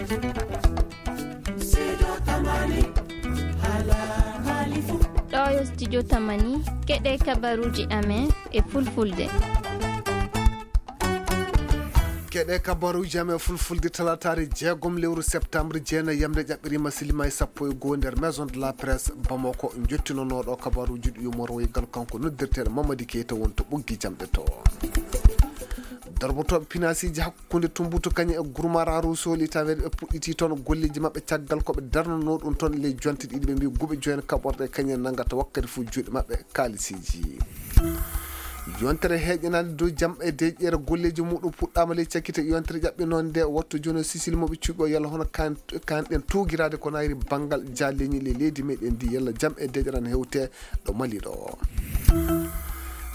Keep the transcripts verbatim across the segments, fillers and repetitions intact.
Ɗo yo studio Tamani, keɗe kabaruuji amen e fulfulde. Keɗe kabaruuji amen fulfulde, talataare jeegom lewru septembre, jeenayi yamde ƴaɓɓiriima, silima e sappo e goo nder Maison de la Presse Bamako. Njottinonooɗo kabaruuji ɗi yumorwoygal kanko noddirteeɗo Mamadi Keita woni to ɓoggi jamɗe to. Darbotooɓe pinaasiiji hakkunde Tumbutu kañum e Gurmara Ruusoli taweede ɓe puɗɗiti toon golleeji maɓɓe caggal ko ɓe darnanoo ɗum toon ley jonte ɗiɗi, ɓe mbii guɓe joyen kaɓorɗe kañum nangata wakkati fof juuɗe maɓɓe kaalisiiji. Yontere heeƴanaande dow jam e deeƴere golleeji muɗum puɗɗaama ley cakkite yontere ƴaɓɓinoonde wattu jono sisil moɓe cuuɓi o yalla hono kan, kan ɗen tuugiraade ko nayri banngal jaalleñi ley leydi meɗen ndi yalla jam e deeƴere ana hewte ɗo Mali ɗo.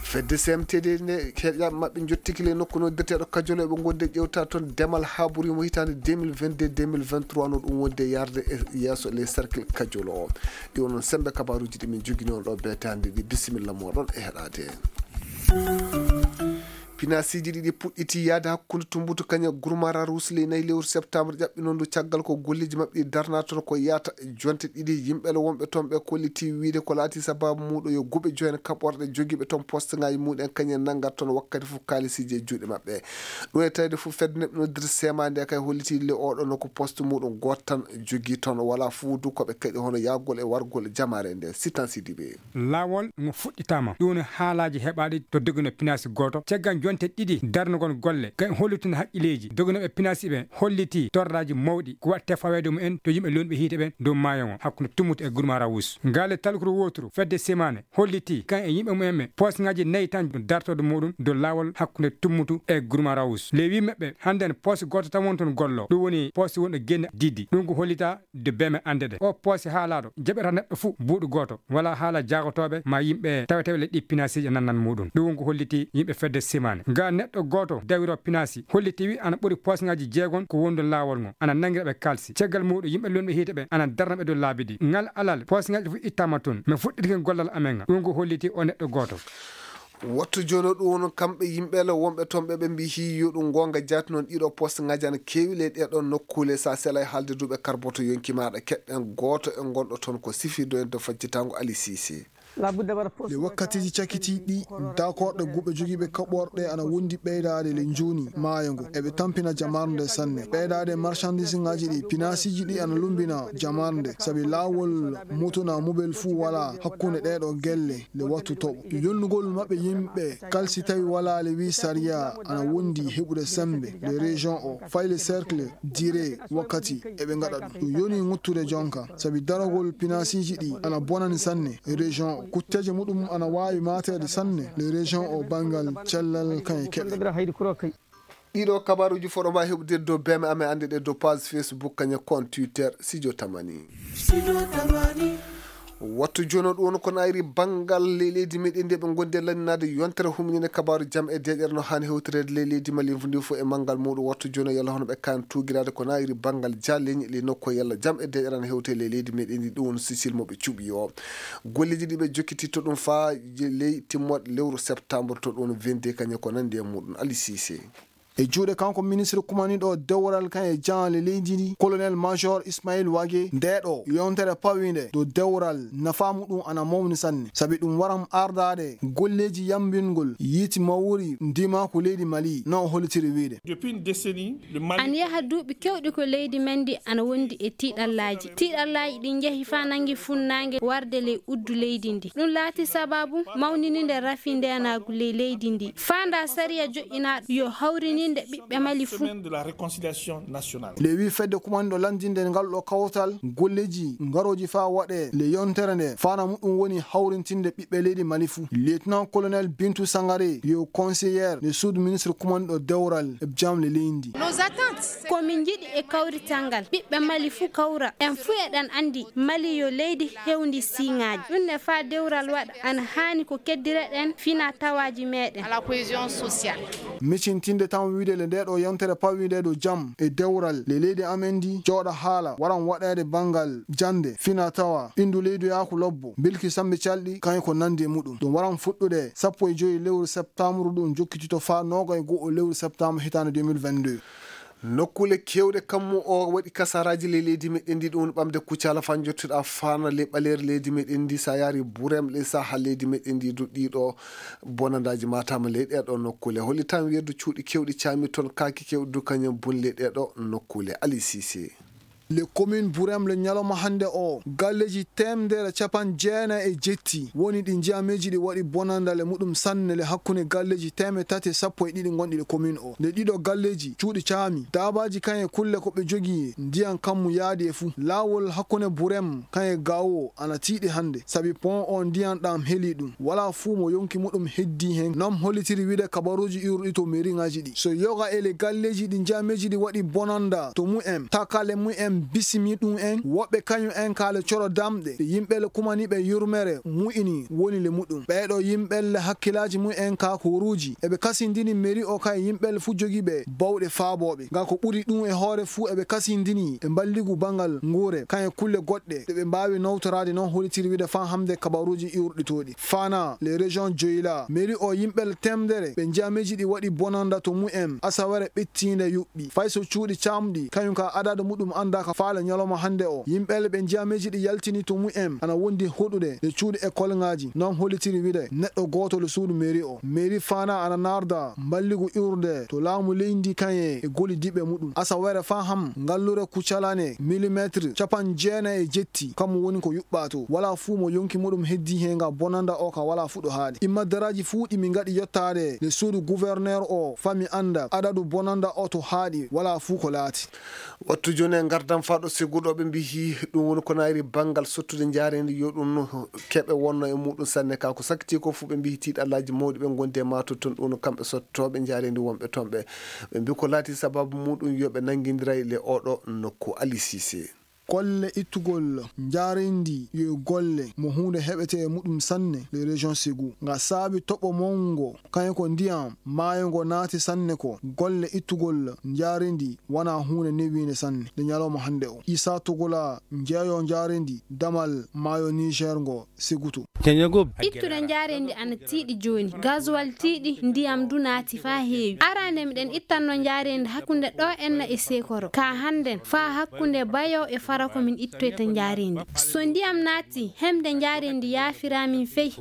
Fedde C M T D nde heeƴaɓe maɓɓe jottiki ley nokku noddirteeɗo Kajolo eɓe gonde ƴewta toon demal haaburi mo hitaande deux mille vingt-deux, deux mille vingt-trois no ɗum wonde yarde e yeeso ley cercle Kajolo. Ɗi wonon sembe kabaruuji ɗi min jogini on ɗo beetaande ɗi. Bisimilla moɗon e heɗaade. Pinaasiiji ɗiɗi puɗɗiti yaade hakkunde Tumbutu kañum e Gurmara Ruus ley nayi lewru septembre ƴaɓɓinondu caggal ko golleeji maɓɓe ɗi darna toon ko yahata jonte ɗiɗi. Yimɓe le wonɓe toon ɓe kolliti wiide ko laati sababu muuɗo yo guɓe joyen kaɓorɗe jogiiɓe toon poste ngaji muɗen kañum nanngat toon wakkati fof kaalisiiji e juuɗe maɓɓe. Ɗum e tawde fof fedde neɗɗo noddirde sema nde kay holliti le oɗo no ko poste muɗum gooto tan jogii toon wala fuudu ko ɓe kaɗi hono yahgol e wargol jamaare nde. Sitan Sidibe. Laawol ngo fuɗɗitaama. Ɗum woni haalaaji heɓaaɗi to dogino pinaasi gooto. Caggal jonte ɗiɗi darnugol golle, kay hollitin haqqileeji doginooɓe pinaasi ɓe holliti torraaji mawɗi ko waɗte faweede mumen to yimɓe lonɓe hiite ɓen dow maayo ngo hakkunde Tumbutu e Gurmara Ruus. Ngaale talkuru wooturu fedde simaane holliti kan e yimɓe mumen ɓe poosŋaaji nayi tan dartorde muɗum dow laawol hakkunde Tumbutu e Gurmara Ruus. Ley wii maɓɓe hannden poos gooto tan woni toon gollo. Ɗum woni poos wonɗo Genne Diddi. Ɗum ko hollita de beme annde ɗe. O poose haalaaɗo jaɓata neɗɗo fuu buuɗu gooto. Wala haala jaagotooɓe ma yimɓe taweteeɓe le ɗi pinaasiiji nannan muɗum. Ɗum ko holliti yimɓe fedde simaane. Ga neɗɗo gooto dawiro pinaasi holliti wi ana ɓuri poosŋaaji jeegon ko wondu laawol ngo. Ana nanngira ɓe kaalsi. Caggal muɗum yimɓe lonɓe hiite ɓe ana darna ɓe dow laabi ɗi. Ngal alal poosŋaaji ɗi fof ittaama toon. Mi fuɗɗitike gollal amen ngal. Ɗum ko holliti o neɗɗo gooto. Wattu jooni o ɗum woni kamɓe yimɓe le wonɓe toon ɓe ɓe mbii hii yo ɗum goonga jaati noon ɗiɗo poste ngaji ana keewi ley ɗeɗo nokkuule sa sela e haalde duuɓe karboto yonki maaɗa keɗɗen gooto e gonɗo toon ko sifirde en to faccitango Ali Sisi. Le wakkatiiji cakitiiɗi dakorɗe guɓe jogiiɓe kaɓorɗe ana wondi ɓeydaade le njuuni maayo ngo eɓe tampina jamaarnde sanne ɓeydaade marchandise ngaji ɗi pinaasiiji ɗi ana lumbina jamaarnde sabi laawol motona mobel fuu wala hakkunde ɗeɗo gelle le wattu toɓo yonnugol maɓɓe yimɓe kalsi tawi wala le wi sariya ana wondi heɓude sembe le région o fayi le cercle dire wakkati eɓe ngaɗa ɗum ɗum yoni ŋuttude jonka sabi daragol pinaasiiji ɗi ana bonani sanne région o kutteeje muɗum ana waawi maateede sanne le région o banngal cellal kan e keɓe. Ɗiɗo kabaruuji fof ɗo mbaawi heɓude dow beme amen annde ɗe dow page Facebook kañum compte Twitter Sidio Tamani. Wattu jono ɗum woni ko nayri banngal ley leydi meɗen nde ɓe gondi e lanninaade yontere humininde kabaaru jam e deeƴere no haani hewtireede ley leydi Mali ndi fof e manngal muɗum wattu jono yalla hono ɓe kan tuugiraade ko nayri banngal jaalleñi ley nokku yalla jam e deeƴere ana hewte ley leydi meɗen ndi ɗum woni Sicile mo ɓe cuɓi o golleeji ɗi ɓe jokkiti to ɗum faa ley timmoɗe lewru septembre to ɗum vingt-deux kañum ko nandi e muɗum Ali Sise. E juuɗe kanko ministre kumaniɗo dewral kan e jaanle leydi ndi colonel major Ismail Wage ndeɗo yontere pawinde dow dewral nafa muɗum ana mawni sanne sabi ɗum waran ardaade golleeji yambingol yiiti mawri ndimaku leydi Mali no o hollitiri wiide. Depuis une décennie le Mali. An yaha duuɓi kewɗi ko leydi men ndi ana wondi e tiiɗallaaji tiiɗallaaji ɗi njehi faa nangi funnaange warde ley uddu leydi ndi ɗum laati sababu mawnininde rafi ndeenaagu ley leydi ndi faanda sariya joƴƴinaaɗo yo hawrininde ɓiɓɓe Mali fuu. Semaine de la réconciliation nationale. Nde wi fedde kumanɗo lanndinde ngal ɗo kawtal golleeji ngarooji faa waɗe le yontere nde faana muɗum woni hawrintinde ɓiɓɓe leydi Mali fuu lieutenant colonel Bintu Sangare yo conseillère nde suudu ministre kumanɗo dewral e jamle leydi ndi. Ko min njiɗi e kawrital ngal ɓiɓɓe Mali fuu kawra en fuu eɗen anndi Mali yo leydi hewndi siiŋaaji ɗum ne faa dewral waɗa ana haani ko keddireɗen fina tawaaji meɗen. Micintinde tan wiide le ndeɗo yontere pawinde dow jam e dewral le leydi amen ndi jooɗa haala waran waɗeede banngal jannde fina tawa ɓinndu leydi yaaku lobbo bilki sambi calɗi kañum ko nanndi e muɗum ɗum waran fuɗɗude sappo e joyi lewru septembre ɗum jokkitito faa noogay go'o lewru septembre hitaande deux mille vingt-deux. Nokkuule keewɗe kammu o waɗi kasaraaji ley leydi meɗen ndi, ɗum woni ɓamde Kucala faa njottuɗaa Faana ley ɓaleeri leydi meɗen ndi. So a yaari Burem ley saha leydi meɗen ndi du, ɗiɗo bonandaaji maataama ley ɗee ɗoo nokkuule. Hollitaan weedu cuuɗi keewɗi caami toon, kaaki keewɗi du kañum boni ley ɗee ɗoo nokkuule. Ali Sise. Le commune Burem le ñalawma hannde o, galleeji teemedere capanɗe jeenayi e jetti woni ɗi njiyaameeji ɗi waɗi bonandale muɗum sanne le hakkunde galleeji teemedere tati e sappo e ɗiɗi gonɗi le commune o. Le ɗiɗo galleeji cuuɗi caami, daabaaji kan e kulle ko ɓe jogii ndiyam kammu yaadi e fuu. Laawol hakkunde Burem kan e Gawo ana tiiɗi hannde, sabi pont o ndiyam ɗam heli ɗum. Walaa fuu mo yonki muɗum heddii heen. Noon hollitiri wiide kabaruuji iwruɗi to mairie ŋaaji ɗi. So yoga e le galleeji ɗi njiyaameeji ɗi waɗi bonanda to mumen, takale mumen bisimi ɗum en, woɓɓe kañum en kaale coro damɗe, ɗe yimɓe le kumani ɓe yurmere mu'ini woni le muɗum. Ɓee ɗoo yimɓe le hakkilaaji mumen ka koruuji, eɓe kasindini mairie o ka e yimɓe le fuu jogii ɓe bawɗe faabooɓe. Ga ko ɓuri ɗum e hoore fuu eɓe kasindini e mballigu bangal nguure, kan e kulle goɗɗe ɗe ɓe mbaawi nawtoraade, noon hollitiri wiide faa hamde kabaruuji iwruɗi to ɗi. Fana, les régions Joyla, mairie o yimɓe le teemedere ɓe njiyaameeji ɗi waɗi bonanda to mumen, asawere ɓettiinde yuɓɓi. Fay so cuuɗi caamɗi, kañum ka adadu muɗum anndaa ka faale ñalawma hannde o. Yimɓe le ɓe njiyaameeji ɗi yaltini to mumen, ana wondi hoɗude le cuuɗi école ŋaaji. Noon hollitiri wiide neɗɗo gooto le suudu mairie o. Mairie Fana ana naarda mballigu iwrude to laamu leydi kan e gollidiiɓe muɗum. Asawere faa ham ngallure Kucalane, millimetre capanɗe jeenayi e jetti, kammu woni ko yuɓɓaa to. Walaa fuu mo yonki muɗum heddii heen ga bonanda o ka walaa fuu ɗo haaɗi. Immaddaraaji fuu ɗi min ngaɗi yottaade le suudu gouverneur o, faa mi annda adadu bonanda o to haaɗi, walaa fuu ko laati. Wattu jooni e ngardan faa ɗo Segu ɗo ɓe mbiyi ɗum woni ko naayri banngal sottude njaareendi yo ɗum keɓe wonno e muɗum sanne ka. Ko sakkiti ko fuu ɓe mbiyi tiiɗallaaji mawɗi ɓe ngondi e maato toon, ɗum woni kamɓe sottooɓe njaareendi wonɓe toon ɓe. Ɓe mbiyi ko laati sababu muɗum yo ɓe nanngindiray le oɗo nokku. Ali Sise. Golle ittugol njaareendi yo golle mo huunde heɓetee e muɗum sanne le région Segu. Nga saabi toɓo mawngo, kañum ko ndiyam maayo ngo naati sanne ko. Golle ittugol njaareendi wonaa huunde newiinde sanne le ñalawma hannde o. Isa Togola, jeeyo njaareendi damal maayo Niger ngo, Segutu. Ittude njaareendi ana tiiɗi jooni. Gasoil tiiɗi, ndiyam du naati faa heewi. Arande miɗen ittanno njaareendi hakkunde ɗo enna e Sekoro. Ka hannden, faa hakkunde Bayo e Farako min ittoyta njaareendi. So ndiyam naati, hemde njaareendi yaafiraa min fey.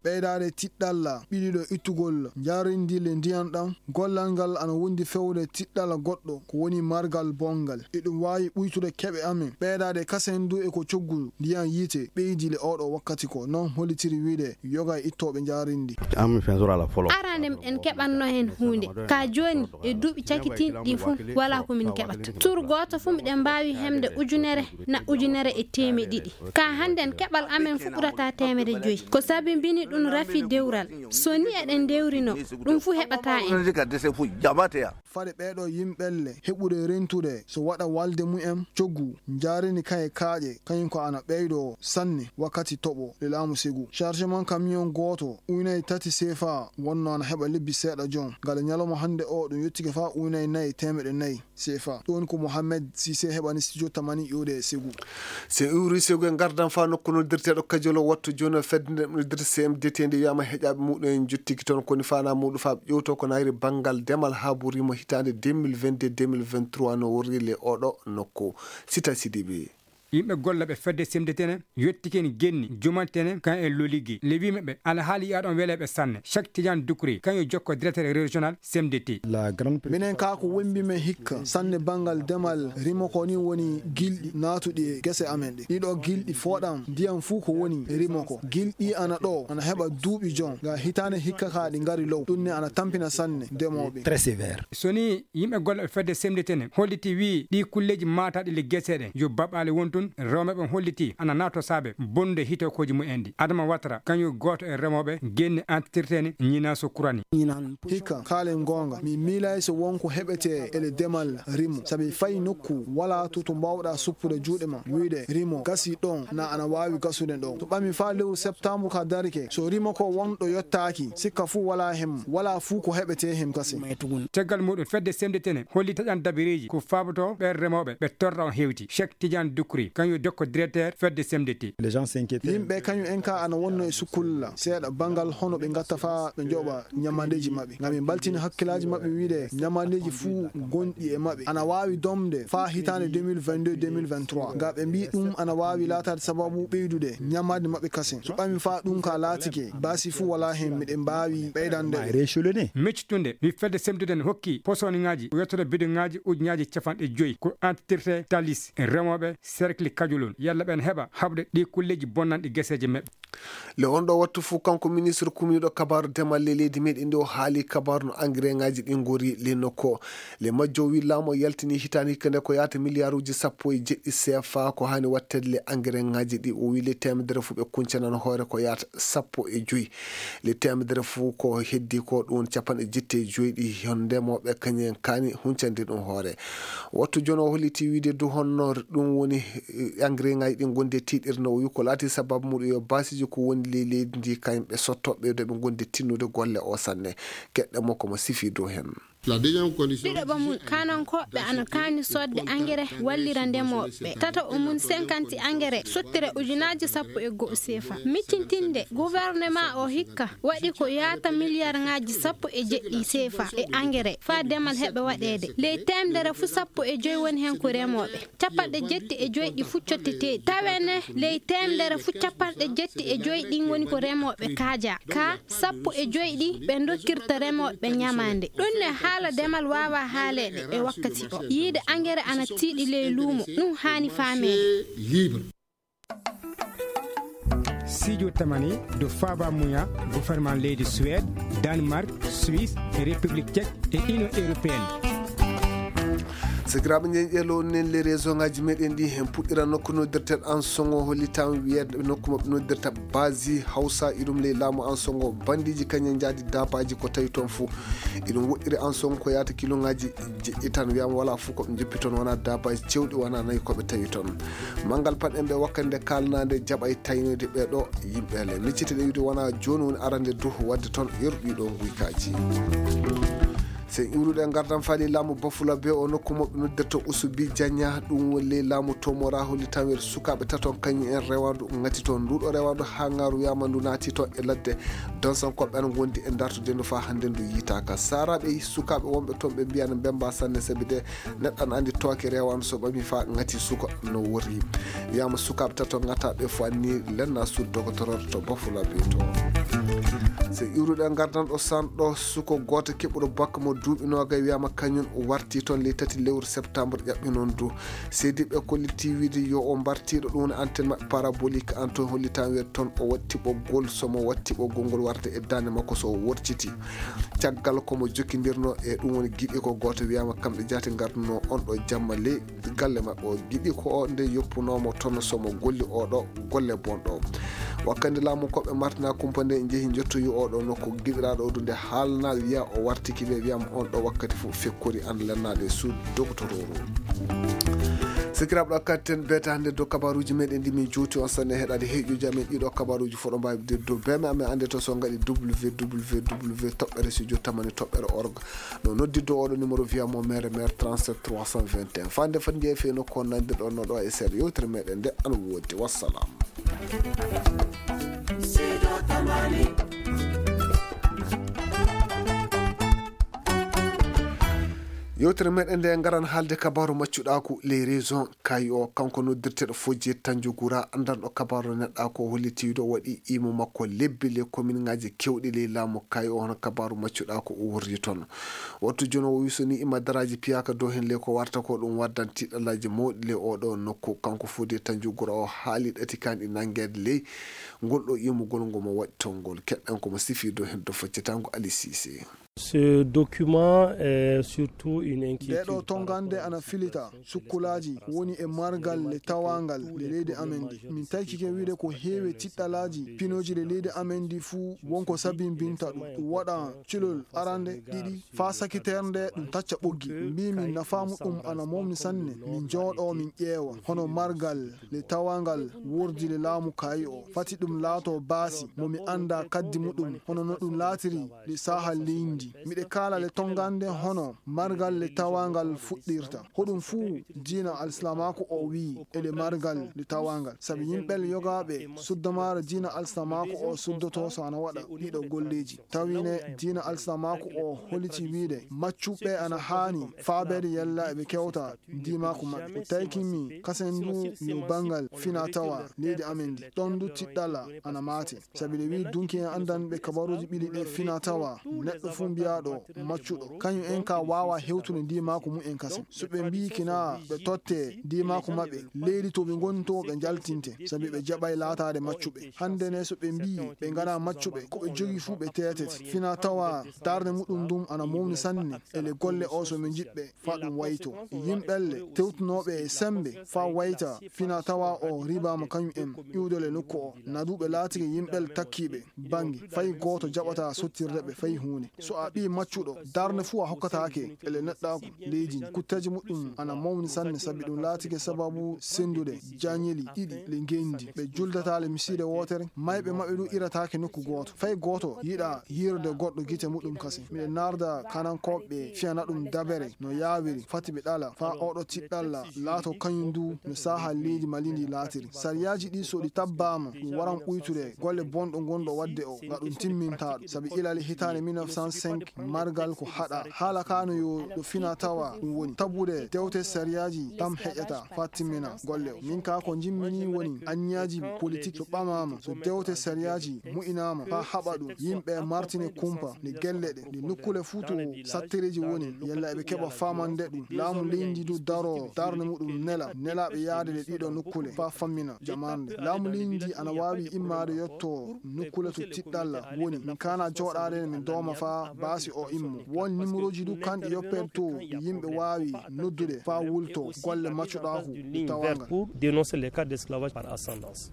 Ɓeydaade tiɗɗalla ɓiɗiɗo ittugol njaareendi le ndiyam ɗam, gollal ngal ana wondi fewde tiɗɗalla goɗɗo, ko woni margal bonngal. Eɗum waawi ɓuytude keɓe amen, ɓeydaade kasen du e ko coggu ndiyam yiite ɓeydi le oɗo wakkati ko. Noon hollitiri wiide yoga e ittooɓe njaareendi. Arande miɗen keɓanno heen huunde. Ka jooni e duuɓi cakitinɗi ɗi fof, walaa ko min keɓata. Tour gooto fof miɗen mbaawi hemde ujunere na ujunere e teemeɗe ɗiɗi. Ka hannden keɓal amen fof ɓurata teemedde joyi. Ko sabibini ɗum rafi dewral. So ni eɗen ndewrino, ɗum fof heɓata en. Fade ɓeeɗo yimɓelle heɓude rentude so waɗa walde mumen coggu, njaareendi kan e kaaƴe, kañum ko ana ɓeydo sanne wakkati toɓo le laamu Segu. Chargement camion gooto, ujunaaji tati C F A wonno ana heɓa lebbi seeɗa jon. Ngal ñalawma hannde o, ɗum yottike faa ujunaaji nayi e teemeɗe nayi C F A. Ɗum woni ko Mohamed Cissé heɓani studio tamani iwde Segu. So en iwri Segu, en ngardan faa nokku noddirteeɗo Kajolo. Wattu jooni o fedde nde noddirte C M D T nde wiyaama heƴaaɓe muɗum en njottiki toon, koni faanaa muɗum faa ɓe ƴewto ko naayri banngal demal haa ɓuri mo hitaande deux mille vingt-deux deux mille vingt-trois no worri le oɗo nokku. Sita Sidibe. Yimɓe gollooɓe fedde C M D T ne yottike en genni jumantene kan e loligi. Le wiimeɓe alhaali yaaɗon weleɓe sanne. Cheikh Tidiane Doucouré, kañum jokko directeur régional C M D T. Minen kaa ko wembi men hikka sanne banngal demal rimo ko ni woni gilɗi naatuɗi e gese amen ɗe. Ɗiɗo gilɗi fooɗam ndiyam fuu ko woni rimo ko. Gilɗi ana ɗo, ana heɓa duuɓi jon. Ga hitaande hikka kaa ɗi ngari low. Ɗum ne ana tampina sanne ndemooɓe. Très sévère. So ni yimɓe gollooɓe fedde C M D T ne holliti wii ɗi kulleeji maataaɗi le gese ɗe yo baɓaale won tun, rewɓe ɓen holliti ana naato saabe bonde hitokooji mumen ɗi. Adama Watara, kañum gooto e remooɓe genni entretien ñina so kurani. Hikka, kaalen goonga, mi miilaay so won ko heɓetee e le demal rimo, sabi fay nokku walaa to, to mbaawɗaa suppude juuɗe ma, wiide rimo gasii ɗon, na ana waawi gasude ɗon. To ɓami faa lewru septembre ka darike, so rimo ko won ɗo yottaaki, sikka fuu walaa hem, walaa fuu ko heɓetee hem kasen. Caggal muɗum, fedde C M D T ne holli taƴan dabireeji ko faabotoo ɓen remooɓe ɓe torra on hewti. Cheikh Tidiane Doucouré. kañum dokko directeur fedde C M D T. Yimɓe kañum en ka ana wonno e sukkulla seeɗa banngal hono ɓe ngatta faa ɓe njoɓa ñamandeeji maɓɓe. Ngam ɓe mbaltini hakkillaaji maɓɓe wiide ñamandeeji fuu gonɗi e maɓɓe ana waawi domde faa hitaande deux mille vingt-deux deux mille vingt-trois. Nga ɓe mbii ɗum ana waawi laataade sababu ɓeydude ñamaande maɓɓe kasen. So ɓami faa ɗum ka laatike, baasi fuu walaa heen miɗen mbaawi ɓeydande. Meccitunde, wi fedde C M D T hokki posoniŋaaji, yottoto bidoŋaaji ujunaaji capanɗe joy ko entretien talis remooɓe cercle Kajulun, yalla ɓen heɓa haɓde ɗi kulleeji bonnanɗi geseeje maɓɓe. Le on ɗo wattu fuu, kanko ministre kumiiɗo kabaaru demal ley leydi meɗen ndi, o haali kabaaru no engrais ŋaaji ɗi ngori le nokku o. Le majjo o wi laamu o yaltini hitaande hikka nde ko yaata miliyaaruuji sappo e jeɗɗi C F A ko haani watteede le engrais ŋaaji ɗi. O wi le teemedere fuu ɓe kuncanan hoore ko yaata sappo e joy. Le teemedere fuu ko heddi ko ɗum capanɗe jetti e joy ɗi hon ndemooɓe kañum en kaani huncande ɗum hoore. Wattu jooni o holliti wiide du honno ɗum woni, eh, engrais ŋaaji ɗi gonde tiiɗirde no o wi ko laati sababu muɗum yo baasiiji ko woni ley leydi ndi kañum ɓe sotto ɓeydo ɓe gonde tinnude golle o sanne. Keɗɗe mo ko mo sifi dow heen. Ɗiɗo ɓamum, kanankooɓe ana kaani soodde engrais wallira ndemooɓe. Tato o mum, cinquante engrais sottire ujunaaji sappo e go'o seefa. Miccintinde gouvernement o hikka waɗi ko yaata miliyarŋaaji sappo e jeɗɗi seefa e engrais faa demal heɓa waɗeede. Ley teemedere fuu sappo e joy woni heen ko remooɓe. Capanɗe jetti e joy ɗi fuu cotteteeɗi. Tawene ley teemedere fuu capanɗe jetti e joy ɗin woni ko remooɓe kaaja. Ka sappo e joy ɗi ɓe dokkirta remooɓe ñamaande. Ɗum ne haala demal waawaa haaleede e wakkati o. Yiide engrais ana tiiɗi ley luumo, ɗum haani faameede. Siijo tamani do faaba muya gouvernement leydi Suède, Danemark, Suisse e République Tchèque e Union Européenne. Sakiraaɓe, njeñƴeelo nen le région ngaji meɗen ɗi, hen puɗɗira nokku noddirten Ansongo, hollitan wiyeede nokku maɓɓe noddirta Basi Hausa, iɗum ley laamu Ansongo. Bandiji kañum njaadi daabaaji ko tawi toon fuu. Iɗum woɗɗiri Ansongo ko yaata kiloŋaaji jeɗɗi tan, wiyama wala fuu ko ɓe njoppi toon, wona daabaaji cewɗi, wona nayi ko ɓe tawi toon. Manngal paɗɗen ɓe wakkati nde kaalanaade jaɓay taynoyde ɓee ɗo yimɓe le. Miccite ɗe wiide wona jooni woni arande du waɗde toon yeru ɗiɗo nguykaaji. So en iwruɗo e ngardan faali laamu Bafulabe o nokku mo ɓe noddirta Usubi Janya, ɗum woni ley laamu Tomora, hollitan wiyeede sukaaɓe taton kañum en rewandu ngati toon. Nduɗo rewandu haa ngaru wiyama ndu naati toon e ladde. Donsankooɓe ana ngondi e dartude ndu faa hannde ndu yiitaaka. Saaraaɓe sukaaɓe wonɓe toon ɓe mbiya no mbemba sanne sabi de neɗɗo ana anndi tooke rewandu so ɓami faa ngati suka no wori. Wiyama sukaaɓe tato ngata ɓe fuu anni lenna sud dogotoroɗo to Bafulabe to. So iwruɗo e ngardan ɗo sanɗo suko gooto keɓuɗo bakka mo duuɓi noogay wiyama kañum warti toon ley tati lewru septembre ƴaɓɓi noon du. Seediɓɓe kolliti wiide yo o mbartiiɗo ɗum woni antenne maɓɓe parabolique an toon hollitan wiyeede toon o waɗi tiɓɓol so mo waɗi tiɓɓol ngol warde e daande makko so o wortiti. Caggal ko mo jokkindirno e ɗum woni giɗi ko gooto wiyama kamɓe jaati ngarduno on ɗo jamma ley galle maɓɓe o. Giɗi ko o nde yoppunoomo toon so mo golli oɗo golle bonɗo. Wakkati laamu koɓe martina kumpa nde njehi njottoyi oɗo nokku giɗiraaɗo o du nde haalna wiya o wartiki ɓe wiyama on ɗo wakkati fof fekkori an lennaaɗo e suudu dogotororu. Sikiraaɓe ɗo katten beeta hannde dow kabaruuji meɗen ɗi min juuti on sanne heɗaade heeƴuji amen ɗiɗo kabaruuji fof ɗo mbaawi dow beme amen annde to so ngaɗi W W W toɓɓere studio tamani toɓɓere org. No noddirde oɗo numéro wiya mo mere mere trente-sept trois cent vingt et un. Fande fande jeeyi fe nokku on nandirɗon no ɗo e seeɗa yewtere meɗen nde ana woodi. Wassalam. Yewtere meɗen nde ngaran haalde kabaru maccuɗaaku les raisons. Kayi o kanko noddirteɗo Fodje Tanjugura, anndanɗo kabaru neɗɗa ko holliti ɗo waɗi imo makko lebbi le komin ngaji kewɗi ley laamu. Kayi o hono kabaru maccuɗa ko o worri toon. Wattu jono o wisoni ima daraji piyaka dow hen le ko warta ko ɗum waddan tiɗalaji mawɗi le oɗo nokku. Kanko Fodje Tanjugura o haali ɗati kan ɗi nangede ley ngol ɗo imugol ngo mo waɗi toon ngol. Keɗɗen ko mo sifi dow hen do faccitango Ali Cissé. Ce document est surtout une inquiétude. Ndeɗo tongande ana filita sukkulaaji woni e margal le tawangal le leydi amen ndi. Min taykike wiide ko heewi tiɗɗalaaji pinooji le leydi amen ndi fuu wonko sabimbinta ɗum. Ɗum waɗa culol arande ɗiɗi faa sakiternde ɗum tacca ɓoggi. Mbiimi nafaamu ɗum ana momni sanne. Min jooɗo min ƴeewa hono margal le tawangal wordi le laamu kaayi o. Fati ɗum laato baasi mo mi annda kaddi muɗum hono no ɗum laatiri le saaha leydi ndi. Miɗe kaala le tongande hono margal le tawangal fuɗɗirta. Hoɗum fuu diina alsilamaaku o wi'i e le margal le tawangal. Sabi yimɓe le yogaaɓe suddamaare diina alsilamaaku o suddoto so ana waɗa ɗiɗo golleeji. Tawi ne diina alsilamaaku o holiti wiide maccuɓe ana haani faabeede yalla eɓe kewta diimaaku maɓɓe. Ko taykimi kasen ndu yo banngal fina tawa leydi amen ndi. Ɗon ndu tiɗɗala ana maate. Sabi le wi'i dunki en anndan ɓe kabaruuji ɓili ɗe fina tawa neɗɗo fuu mbiyaaɗo maccuɗo. Kañum en ka waawa hewtude diimaaku mumen kasen. So ɓe mbiyi kina ɓe totte diimaaku maɓɓe, leydi to ɓe ngoni to ɓe njaltinte. Sabi ɓe jaɓay laataade maccuɓe. Hannde ne so ɓe mbiyi ɓe ngana maccuɓe, ko ɓe jogi fuu ɓe teetete. Fina tawa darnde muɗum ndum ana mawni sanne. E le golle o so ɓe njiɗɓe faa ɗum wayto. Yimɓe le tewtunooɓe e sembe faa wayta fina tawa o ribaama kañum en iwdole nokku o. Naduuɓe laatike yimɓe le takkiiɓe bannge. Fay gooto jaɓata sottirde ɓe fay huunde. So a ɓii maccuɗo, darnde fuu a hokkataake e le neɗɗaaku leydi ndi. Kutteeji muɗum ana mawni sanne sabi ɗum laatike sababu senndude jañeli ɗiɗi le ngenndi. Ɓe juldataa le misiide wootere, mayɓe maɓɓe ɗum irataake nokku gooto. Fay gooto yiɗa yiirude goɗɗo gite muɗum kasen. Miɗen naarda kanankooɓe fiyana ɗum dabere no yaawiri, fati ɓe ɗala, faa oɗo tiɗɗalla laato kañum ndu no saaha leydi Mali ndi laatiri. Sariyaaji ɗi so ɗi tabbaama, ɗum waran ɓuytude golle bonɗo ngonɗo waɗde o, nga ɗum timmintaa ɗum. Sabi ilali hitaande mille neuf cent cinq, margal ko haɗa. Haala ka no yo ɗo fina tawa ɗum woni. Tabbude dewte sariyaaji tam heƴata faa timmina golle o. Min ka ko njimmini woni anniyaji politik so ɓamaama, so dewte sariyaaji mu'inaama faa haɓa ɗum, yimɓe martine kumpa, nde gelle ɗe, nde nukkule fuu to sattereeji woni, yalla eɓe keɓa faamande ɗum. Laamu leydi ndu daro darnde muɗum nela, nelaaɓe yaade ɗe ɗiɗo nukkule faa fammina jamaande. Laamu leydi ndi ana waawi immaade yotto nukkule to tiɗɗalla woni. Min kaana jooɗaade min dooma faa baasi o immo. Won nimorooji du kanɗi yoppeede to yimɓe waawi noddude faa wulto golle maccuɗaaku tawangal. Pour dénoncer les cas d'esclavage par ascendance.